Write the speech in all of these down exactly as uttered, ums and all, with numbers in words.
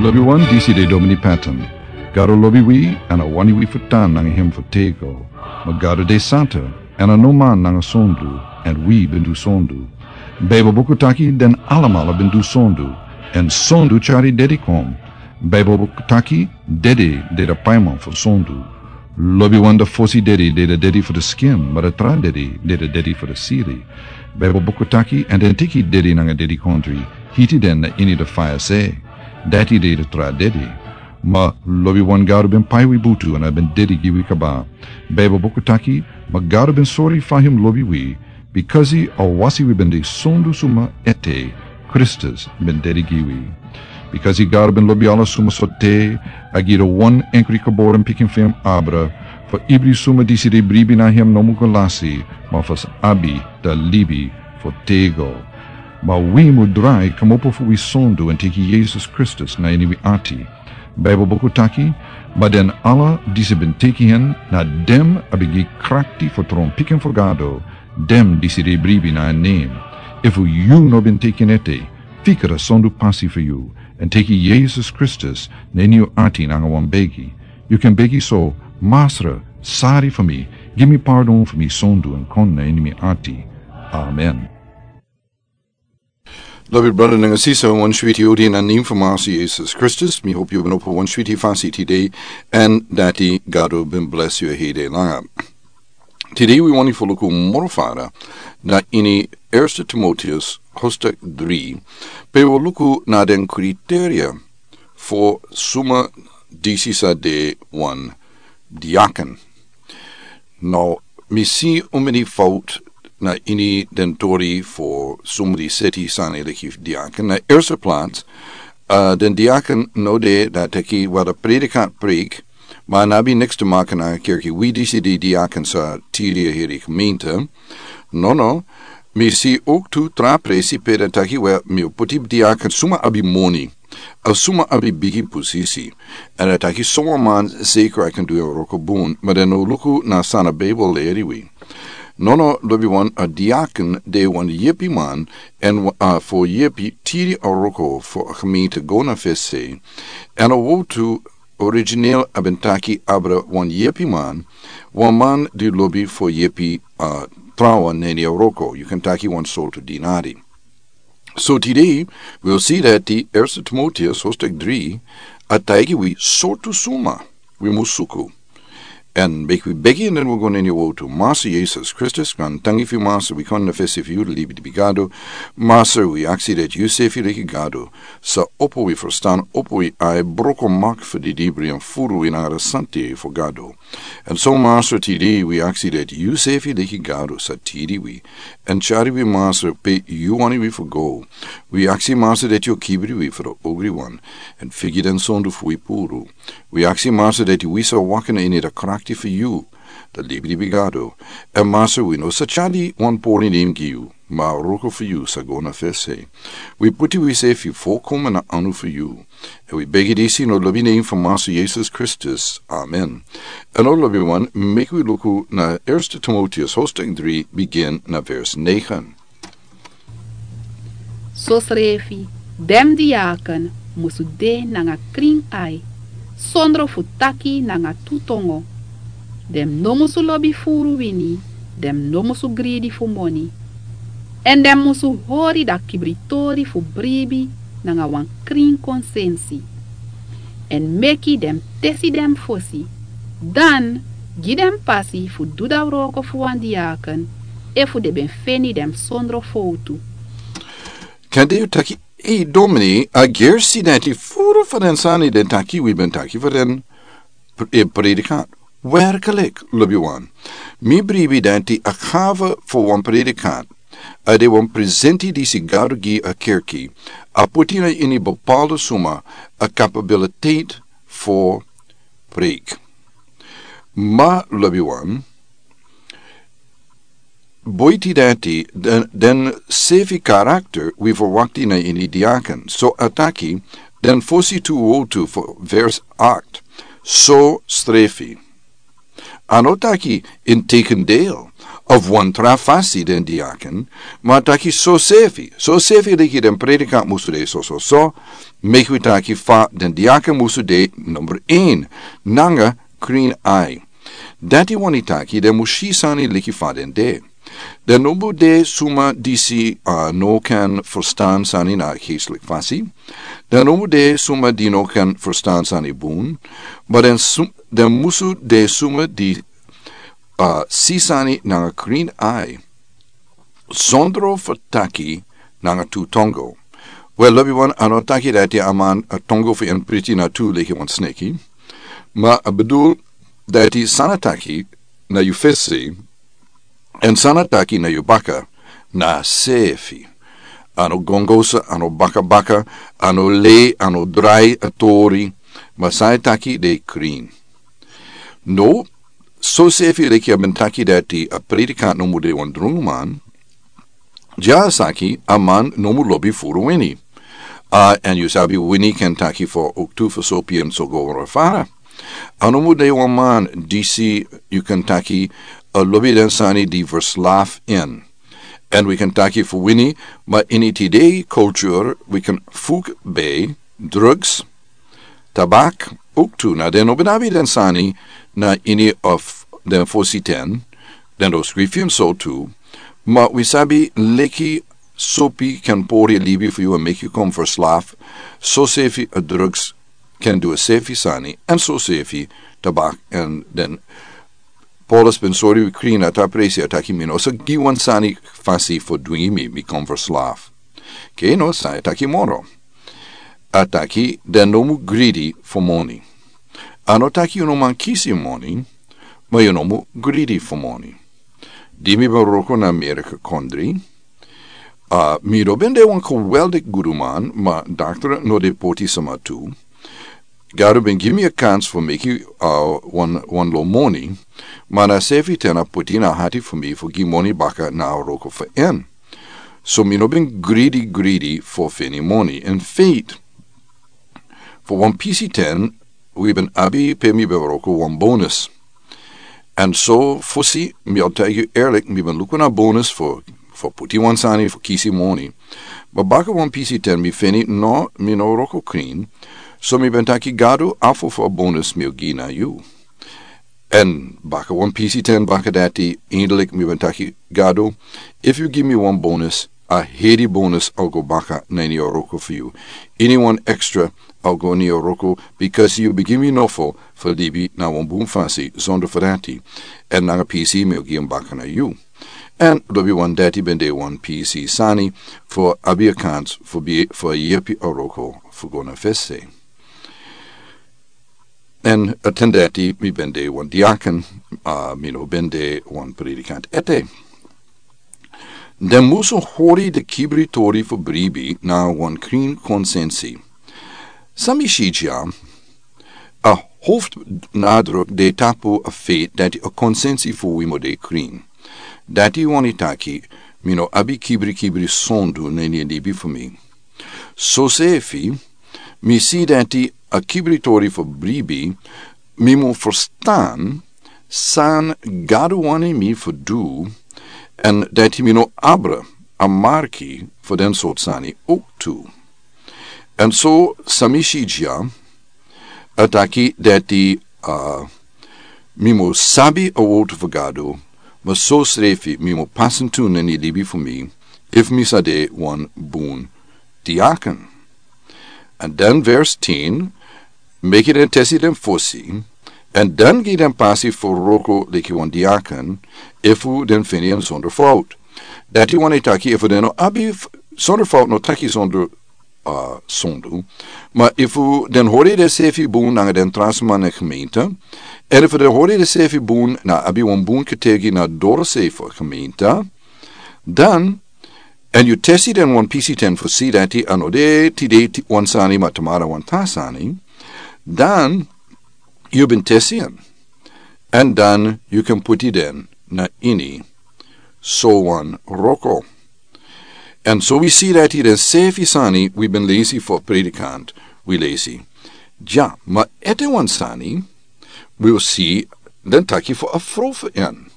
Lobiwan, disi de Domini Patton. Gado lobi wi, èn a wani wi fu tan nanga hem fu tego. Ma Gado de santa, èn a no man nanga sondu, èn wi ben du sondu. Baibel buku taki den alamala ben du sondu, èn sondu tyari dedi kon. Baibel buku taki dedi de da paiman fu sondu. Lobiwan, da fosi dedi de da dedi fu da skin, ma da tra dedi de da dedi fu da siri. Baibel buku taki, èn den teki dedi nanga dedi kondri, hiti den na ini da faya se. Dati de da tra dedi. Ma lobiwan, Gado ben pai wi butu èn a ben dedi gi wi kaba. Baibel buku taki, ma Gado ben sori fa hem lobi wi, bikasi a wasi wi ben de sondu suma ete, Kristus ben dedi gi wi. Bikasi Gado ben lobi ala suma sortu, a gi da wan enkri geboren pikin fu hem abra, fu ibri suma disi de bribi na hem no mu go lasi, ma fu sa abi da libi fu tego. Ma wi mu drai kmopo fu wi sondu èn teki Yesus Kristus na ini wi ati. Baibel buku taki, ma den ala disi ben teki hen, na dem a ben gi krakti fu tron pikin fu Gado, dem disi de bribi na en nem. Efu yu no ben teki en ete, fika da sondu pasi fu yu, èn teki Yesus Kristus na ini yu ati nanga wan begi. Yu kan begi so: Masra, sori fu mi, gi mi pardon fu mi sondu èn kon na ini mi ati. Amen. Lobi brada nanga sisa, wan switi odi na nem fu Masra Yesus Kristus. Mi hopi yu ben opo wan switi fasi tide, èn dati Gado ben blesi yu hede langa. Tide wi wani fu luku moro fara na ini Erste Timoteus hoofdstuk dri, pe wi luku na den kriteria fu suma disi sa de wan diaken. Now, mi si un meni fout na ini den tori fu suma di seti sani leki diaken. Na erste plaats, uh, den diaken no de da teki wada predikant preek, ma a no abi niks te maken nanga kerki. Wi disi de diaken sa tiri a heri gemeente. No, no. Mi si ook tu tra presi pe den taki: Wel, mi o poti diaken suma abi moni, a suma abi bigi posisi. Èn a taki: Suma man zeker a kan du en wroko bun, ma den no luku na san a Bijbel leri wi. No, no, lobiwan, a diaken de wan yepi man, èn a fu yepi tiri a wroko fu a gemeente go na fesi. Èn a wowtu origineel a ben taki abra wan yepi man, wan man di lobi fu yepi, uh, trawan na ini a wroko. Yu kan taki wan sortu dinari. So tide wi o si dati Erste Timoteus hoofdstuk dri a taigi wi sortu suma wi mus suku. Èn meki wi begi èn den wi go na ini a wowtu. Masra Yesus Kristus, grantangi fu yu Masra, wi kon na fesi fu yu, libi di bigi Gado. Masra, wi aksi dati yu sefi leki Gado sa opo wi ferstan, opo wi ai, broko mak fu di dibri èn furu wi nanga da santi fu Gado. Èn so Masra, tide wi aksi dati yu sefi leki Gado sa tiri wi èn tyari wi Masra pe yu wani wi fu go. Wi aksi Masra dati yu o kibri wi fu da ogriwan èn figi den sondu fu wi puru. Wi aksi Masra dati wi sa waka na ini da krakti fu yu, da libi di bigi Gado. Èn Masra, wi no sa tyari wan pori nen gi yu, ma a wroko fu yu sa go na fesi. Wi poti wi sefi folkomen na anu fu yu. Èn wi begi disi na lobi nen fu Masra Yesus Kristus. Amen. Èn now lobiwan, meki wi luku na Erste Timoteus hoofdstuk dri, bigin na vers negen. Sosrefi, den diaken musu de nanga krin ai, sondro fu taki nanga tu tongo. Den no musu lobi furu wini, den no musu gridi fu moni. Èn den musu hori da kibritori fu bribi nanga wan krin konsensi. Èn meki den tesi den fosi, dan gi den pasi fu du da wroko fu wan diaken, efu den ben feni den sondro fowtu. Kande yu taki: Ei, domini, a gersi dati furu fu den sani den taki wi ben taki fu den pre-, eh, predikant. Werkelijk, lobiwan. Mi bribi dati a gave fu wan predikant a de wan presenti disi Gado gi a kerki. A poti na ini bepaalde suma a capabiliteit fu preek. Ma lobiwan, boiti dati, den, den sefi karakter wi verwakti na ini diaken. So a taki, den fosi tu wowtu fu vers acht. Sosrefi. A no taki integendeel, Of wan tra fasi den diaken, ma taki so sefi, so sefi leki den predikant musu de so so so, meki wi taki fa den diaken musu de number een, nanga krin ai. Dati wani taki den musi sani leki fa den de. Den no mu de suma disi, ah, no kan verstan sani na geestelijk fasi. Den no mu de suma di no kan verstan sani bun. Ma den, sum, den musu de suma di, ah, si sani nanga krin ai. Sondro fu taki nanga tu tongo. Wel, lobi wan, a no taki dati a man a tongo fu en priti na tu leki wan sneki. Ma a bedoel dati san a taki na yu fesi, en san a taki na yu baka, na sefi. A no gongosa, a no baka baka, a no lei, a no drai a tori, ma san a taki de krin. No, so sefi leki a ben taki dati a predikant no mu de wan drungu man, dya saki a man no mu lobi furu wini. Ah, en yu sabi wini kan taki fu oktu fu sopi en so go fara. A no mu de wan man disi yu kan taki a lobi den sani di verslaf en. En wi kan taki fu wini, ma ini tide culture wi kan fuk be drugs, tabak, oktu na den no ben abi den sani na ini of den fosi ten, den no skrifi en so tu, ma wi sabi leki sopi kan pori libi fu yu en meki yu kon verslaf, so sefi a drugs kan du a sefi sani, en so sefi tabak en den Paulus ben sori wi krin na ta presi a taki mi no sa gi wan sani fasi fu dwingi mi, mi kon verslaf. Ke no sa a taki moro. A taki den no mu gridi fu moni. A no taki yu no man kisi moni, ma yu no mu gridi fu moni. Di mi ben wroko na Amerika kondri, ah, mi no ben de wan geweldig guduman, ma daktra no de poti sama tu. Gado ben gi mi a kans fu meki, ah, wan, wan lo moni, ma na sefi ten a poti na hati fu mi fu gi moni baka na a wroko fu en. So mi no ben gridi gridi fu feni moni. In fact, fu wan pisi ten, wi ben abi pe mi ben wroko wan bonus. En so fosi mi o taigi yu erlik, mi ben luku na bonus fu, fu puti wan sani fu kisi moni. Ma baka wan pisi ten mi feni no, mi no wroko krin. So mi ben taki Gado, afu fu a bonus mi o gi na yu. En baka wan pisi ten baka dati, eindelijk mi ben taki Gado, efu yu gi mi wan bonus, a heri bonus a o go baka na ini a wroko fu yu. Ini wan extra a o go ini a wroko, because yu ben gi mi nofo fu libi na wan bun fasi, zonder fu dati. En nanga pisi mi o gi en baka na yu. En lobi wan dati ben de wan pisi sani fu abi a kans fu bi, fu yepi a wroko fu go na fesi. En a ten dati mi ben de wan diaken, ah, mi no ben de wan predikant ete. Den musu hori den kibri tori fu bribi na wan krin konsensi. San mi si dya, a hoftnadruk de tapu a feit dati a konsensi fu wi mu de krin. Dati wani taki, mi no abi kibri kibri sondu na ini a libi fu mi. So sefi, mi si dati a kibri tori fu bribi, mi mu verstan san Gado wani mi fu du, en dati mi no abra a marki fu den sort sani ook tu. En so san mi si dya, a taki dati, ah, mi mu sabi a wortu fu Gado, ma so srefi mi mu pasin tu na ini a libi fu mi, efu mi sa de wan bun diaken. En dan vers tien, meki den tesi den fosi, en dan gi den pasi fu wroko leki wan diaken, efu den feni en zonder fout. Dati wani taki efu den no abi f-, zonder fout no taki zonder, ah, sondu. Ma efu den hori den sefi bun nanga den tra sma na gemeente, en efu den hori den sefi bun na abi wan bun ketegi na doro sefi gemeente, dan, en yu tesi den wan pisi ten fu si dati a no de tide ti-, wan sani ma tamara wan tra sani, dan yu ben tesi en. En dan yu kan puti den na ini so wan wroko. En so wi si dati den sefi sani wi ben lesi fu predikant, wi lesi. Dya, ma ete wan sani, wi o si den taki fu a frow fu en.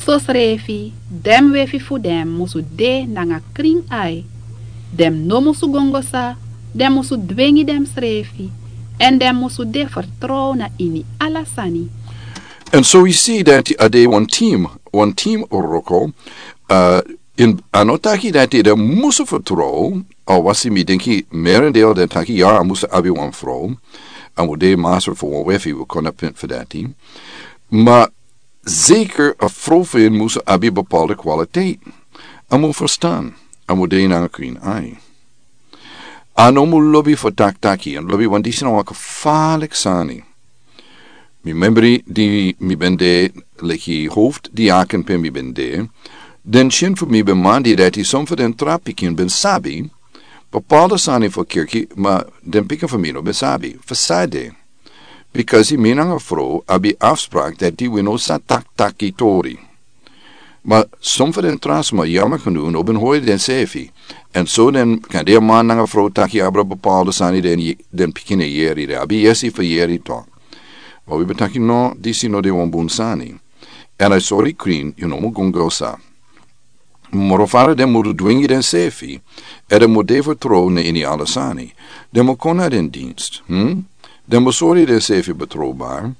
Sosrefi den wefi fu den musu de nanga krin ai. Den no musu gongosa, den musu dwengi densrefi, èn den musu de fertrow na ini ala sani. Èn so wi si dati a de wan tim, wan tim wroko. A no taki dati den musu fertrow. A wasi mi denki merendel den taki ya a musu abi wan frow. A mu de master fu wan wefi wi kon na pint fu dati. Ma zeker a frow fu en musu abi bepaalde kwaliteit. A mu ferstan. A mu de nanga krin ai. A no mu lobi fu taktaki èn lobi wan disi na wan kefalik sani. Mi membri di mi ben de leki hofdiaken pe mi ben de, den syen fu mi ben man di dati son fu den tra pikin ben sabi bepaalde sani fu kerki ma den pikin fu mi no ben sabi fu sade. Bikasi mi nanga frow abi afsprak dati wi no sa taktaki tori. Ma son fu den tra sma yama kunu no ben hori densefi. Èn so den kan de a man nanga frow taki abra bepaalde sani den pikin e yeri den abi yesi fu yeri tok. Ma wi ben taki no disi no de wan bun sani. Èn a sori krin yu no mu gongosa. Moro fara den mudu dwingi densefi. Èn den mu de fertrow na ini ala sani. Den mu kon na den dinst. Den mu sori densefi betrowbar.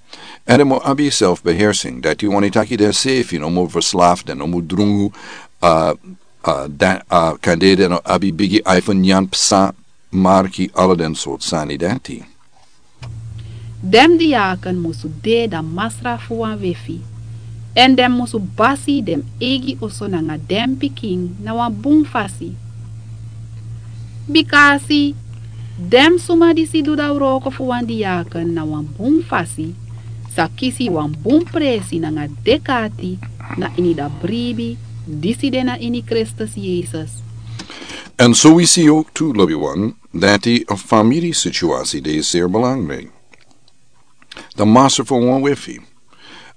Èn den mu abi selfbehersing dati wani taki densefi no mu verslaf den no mu drungu. A kande den no abi bigi ai fu nyan psa marki ala den sort sani dati. Den diaken musu de dan masra fu wan wefi. Èn den musu basi den eigi oso nanga den pikin na wan bun fasi. Bika a si den suma disi du dan wroko fu wan diaken na wan bun fasi sa kisi wan bun presi nanga dek'ati na ini dan bribi disi de na ini kristus yesus. Èn so wi si yu tu lobi wan dati a famiri situasi de seri belangriki. Dan masra fu wan wefi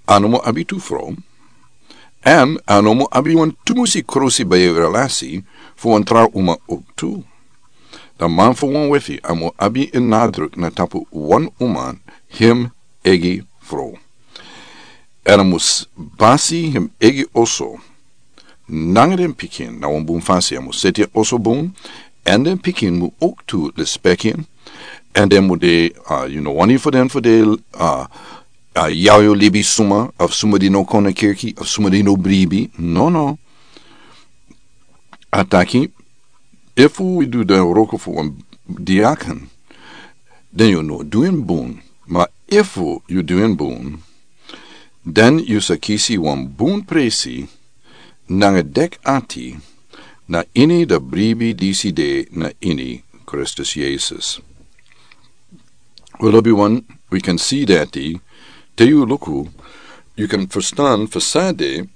a no mu abi tu frow. Èn a no mu abi wan tumusi krusi bai e relasi fu wan tra uma owktu. Dan man fu wan wefi a mu abi en nadruk na tapu wan uma hem egi frow. Èn a mus basi hem egi oso nanga den pikin na wan bun fasi a mus seti en oso bun. Èn den pikin mu owktu lespeki en. Èn den mu de yu no wani fu den fu de a yau yu libi suma of suma di no kon na kirki of suma di no bribi nono. A taki efu wi du den wroko fu wan diaken den yu no du en bun. Ma efu yu du en bun den yu sa kisi wan bun presi nanga dek ati na ini dan bribi disi de na ini kristus yesus. We lobi wan wi kan si dati te yu luku yu kan ferstan fu sade.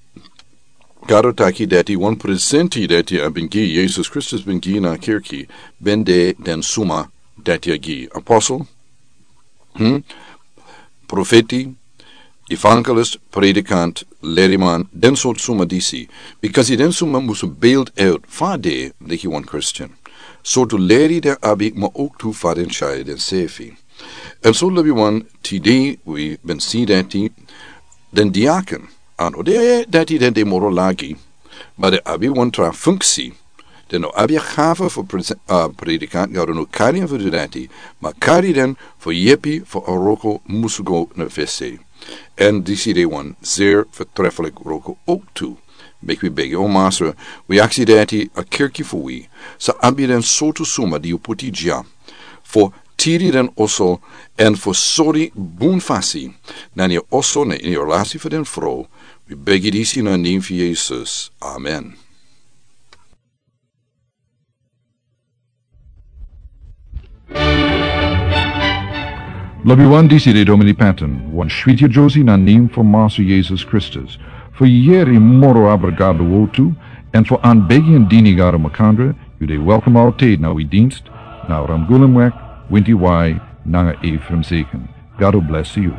Gado taki dati wan presenti dati a ben gi yesus kristus ben gi na a kirki ben de den suma dati a gi apostel, profeti, evangelist, predikant, leriman den sortu suma disi. Bikasi den suma musu beld out fa de leki wan kristin sortu leri den abi ma owktu fa den tyari densefi. Èn so lobi wan tide wi ben si dati den diaken a no de dati den de moro lagi. Ma den abi wan tra funksi den no abi a gafa fu predikant gado no kari en fu du dati ma kari den fu yepi fu a wroko musu go na fesi. Èn disi de wan seri fertrefelik wroko owktu. Meki wi begi o masra wi aksi dati a kirki fu wi sa abi den sortu suma di yu puti dya fu tiri den oso èn fu sori bun fasi na ini yu oso na ini yu relasi fu den frow. Wi begi disi na nen fu yesus, amen. Lobi wan disi de domini paten wan switi yu josi na nen fu masu yesus kristus. Fu yeri moro abra gado wotu èn fu an begi en dini gado makandra. Yu de welkom altid na wi dinst na ramgulum wek winti wai nanga efrem seken. Gado blesi yu.